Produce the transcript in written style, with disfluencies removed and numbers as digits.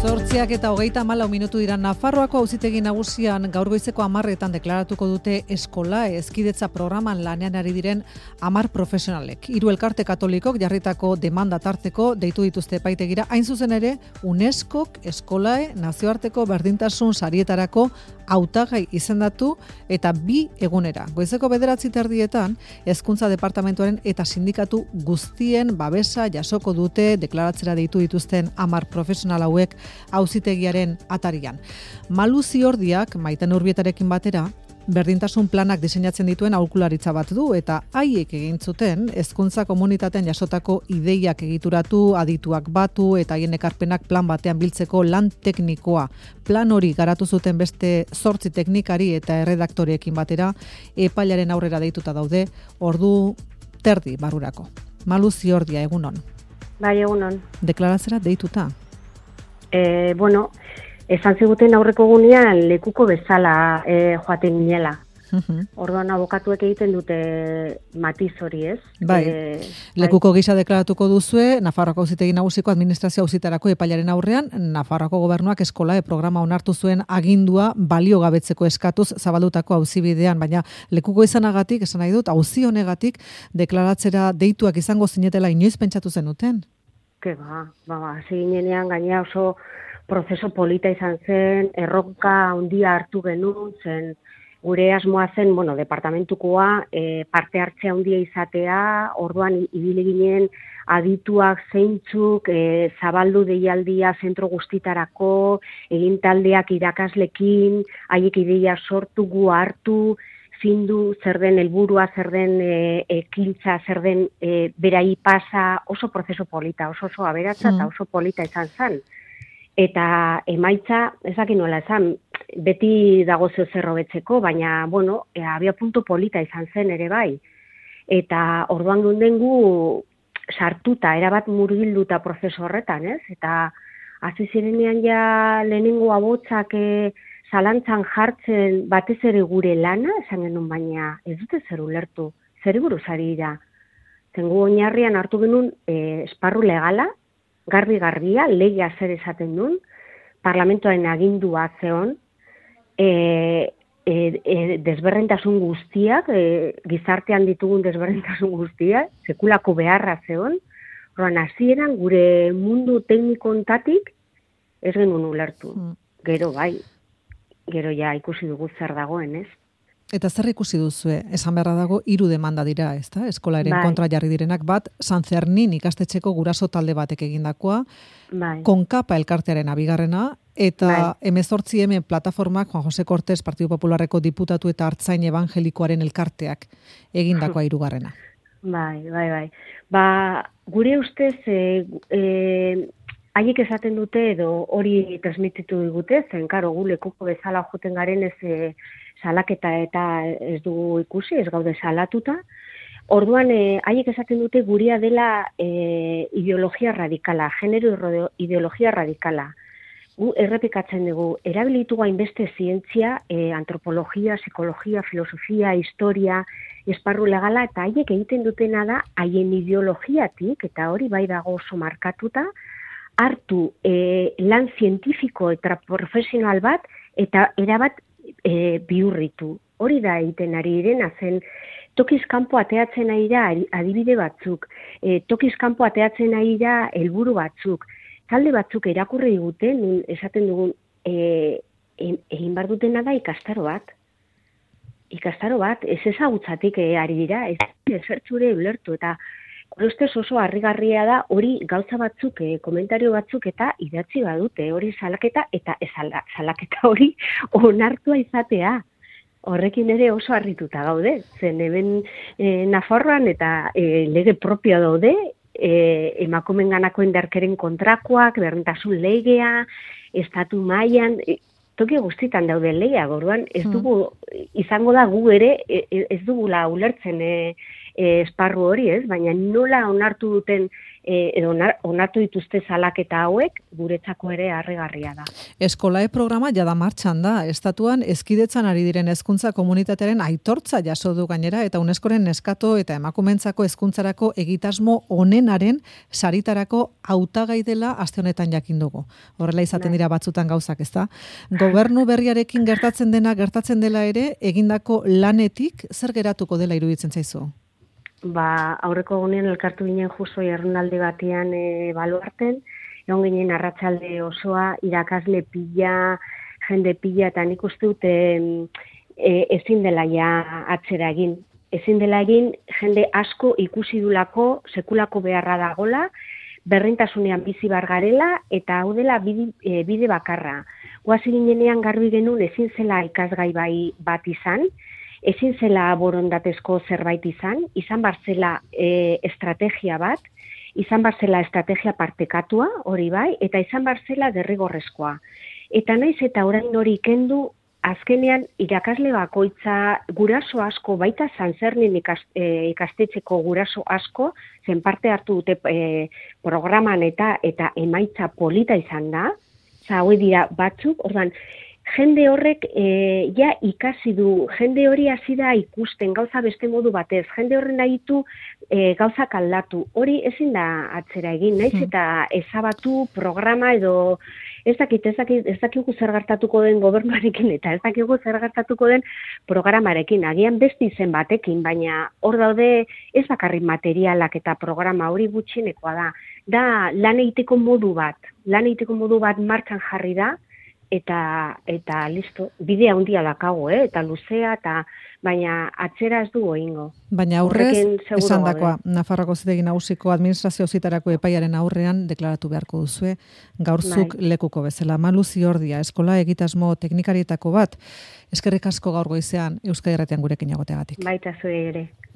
8:34 dira. Nafarroako auzitegi nagusian gaur goizeko 10:00etan deklaratuko dute eskola hezkidetza programan lanean ari diren 10 profesionalek. 3 elkarte katolikok jarritako demanda tarteko deitu dituzte epaitegira. Hain zuzen ere, UNESCOk eskolae nazioarteko berdintasun sarietarako hautagai izendatu eta 2 egunera. Goizeko 9:30 Hezkuntza Departamentuaren eta sindikatu guztien babesa jasoko dute deklaratzera deitu dituzten 10 profesional hauek auzitegiaren atarian. Malu Ziordiak Maiten Urbietarekin batera berdintasun planak diseinatzen dituen aholkularitza bat du eta haiek egin zuten hezkuntza komunitatean jasotako ideiak egituratu, adituak batu eta haien ekarpenak plan batean biltzeko lan teknikoa. Plan hori garatu zuten beste 8 teknikari eta erredaktoreekin batera epailaren aurrera deituta daude ordu terdi barrurako. Malu Ziordia, egunon. Bai, egunon. Deklaratzera deituta. Esan ziguten aurreko gunean lekuko bezala joaten ginela. Orduan abokatuek egiten dute matiz hori, ez? Bai, lekuko gisa deklaratuko duzue, Nafarroako auzitegi nagusiko administrazio auzitarako epailaren aurrean, Nafarroako gobernuak eskolae programa onartu zuen agindua baliogabetzeko eskatuz zabaldutako auzibidean, baina lekuko izanagatik, esan nahi dut, auzi honegatik deklaratzera deituak izango zinetela inoiz pentsatu zenuten? Hasi ginenean gainera oso prozeso polita izan zen, erronka handia hartu genuen zen, gure asmoa zen, departamentukoa parte hartzea handia izatea, orduan ibili ginen adituak zeintzuk, zabaldu deialdia zentro guztitarako, egin taldeak irakaslekin, haiek ideia sortu, gu hartu, zindu, zer den helburua, zer den ekintza, zer den berai pasa, oso prozeso polita, oso aberatsa eta oso polita izan zen. Eta emaitza, ezak nola esan, beti dago zer hobetzeko, baina, abia punto polita izan zen ere bai. Eta orduan gundengu sartuta, erabat murgilduta prozesu horretan, ez? Eta hasi zirenean ja lehenengo abotzak zalantzan jartzen batez ere gure lana, esan genuen baina ez dute zer ulertu, zer buruz ari dira. Zengu oinarrian hartu genuen esparru legala, garbi-garbia, legea zer esaten duen, parlamentoaren agindua zeon, desberdintasun guztiak, gizartean ditugun desberdintasun guztiak, sekulako beharra zeon, horren hasieran gure mundu tekniko ontatik ez genuen ulertu. Gero ja ikusi dugu zer dagoen, ez? Eta zer ikusi duzue? Esan beharra dago 3 demanda dira, ezta? Eskolaren kontra jarri direnak bat, San Zernin ikastetxeko guraso talde batek egindakoa, Konkapa elkartearen abigarrena, eta 18M plataformak Juan Jose Cortés Partido Popularreko diputatu eta Artzain Evangelikoaren elkarteak egindakoa 3. Bai. Gure ustez haiek esaten dute edo hori transmititu digute, zen karo gu lekuko bezala joten garen ez salaketa eta ez dugu ikusi, ez gaude salatuta. Orduan, haiek esaten dute guria dela ideologia radikala, genero ideologia radikala. Gu errepikatzen dugu, erabilitu hainbeste zientzia, antropologia, psikologia, filosofia, historia, esparru legala, eta haiek egiten dutena da, haien ideologiatik, eta hori bai dago oso markatuta, hartu lan zientifiko eta profesional bat, eta erabat bihurritu. Hori da egiten ari direna zen, tokiz kanpo ateatzen ari da adibide batzuk, tokiz kanpo ateatzen ari da helburu batzuk, talde batzuk erakurri diguten, esaten dugun, egin behar dutena da ikastaro bat, ez ezagutzatik ari dira, ez ezertzure ulertu, eta gure ustez oso harrigarria da hori gauza batzuk, komentario batzuk eta idatzi badute, hori salaketa eta salaketa hori onartua izatea. Horrekin ere oso harrituta gaude, zen hemen Nafarroan eta lege propio daude, emakumenganako indarkeren kontrakoak, berdintasun legea, estatu mailan, toki guztitan daude legea, orduan ez dugu, izango da gu ere, ez dugula ulertzen esparru hori, ez? Baina nola onartu duten, onartu dituzte salaketa hauek, guretzako ere harrigarria da. Eskolae programa jada martxan da. Estatuan hezkidetzan ari diren hezkuntza komunitatearen aitortza jaso du gainera eta UNESCOren neskato eta emakumeentzako hezkuntzarako egitasmo onenaren saritarako hautagai dela aste honetan jakin dugu. Horrela izaten dira batzutan gauzak, ezta? Gobernu berriarekin gertatzen dela ere, egindako lanetik zer geratuko dela iruditzen zaizu? Aurreko egunean elkartu ginen justo jardunaldi batean baluarten, egon ginen arratsalde osoa, irakasle pila, jende pila, eta nik uste dut ezin dela ja atzera egin. Ezin dela egin, jende asko ikusi dulako, sekulako beharra dagola, berrintasunean bizi bar garela, eta hau dela bide bakarra. Guazi ginenean garbi genuen ezin zela ikasgai bat izan, ezin zela borondatezko zerbait izan bar zela estrategia bat, izan bar zela estrategia partekatua, hori bai, eta izan bar zela derrigorrezkoa. Eta naiz eta orain hori kendu, azkenean irakasle bakoitza guraso asko, baita Sanzernin ikastetxeko guraso asko, zen parte hartu dute programan eta emaitza polita izan da, hauek dira batzuk, ordan, jende horrek ja ikasi du, jende hori hasi da ikusten gauza beste modu batez, jende horren nahitu gauzak aldatu, hori ezin da atzera egin, naiz eta ezabatu programa edo ez dakigu zer gertatuko den gobernuarekin eta ez dakigu zer gertatuko den programarekin, agian beste izen batekin, baina hor daude ez bakarrik materialak eta programa hori gutxienekoa da lan egiteko modu bat martxan jarri da, eta listo, bide handia dakago, eta luzea, baina atzera ez du egingo. Baina aurrez, esandakoa, Nafarroako Auzitegi Nagusiko administrazio auzitarako epaiaren aurrean deklaratu beharko duzue, gaurzuk lekuko bezala. Malu Ziordia, eskola egitasmo teknikarietako bat, eskerrik asko gaur goizean Euskadi Irratian gurekin egoteagatik. Baita zuei ere.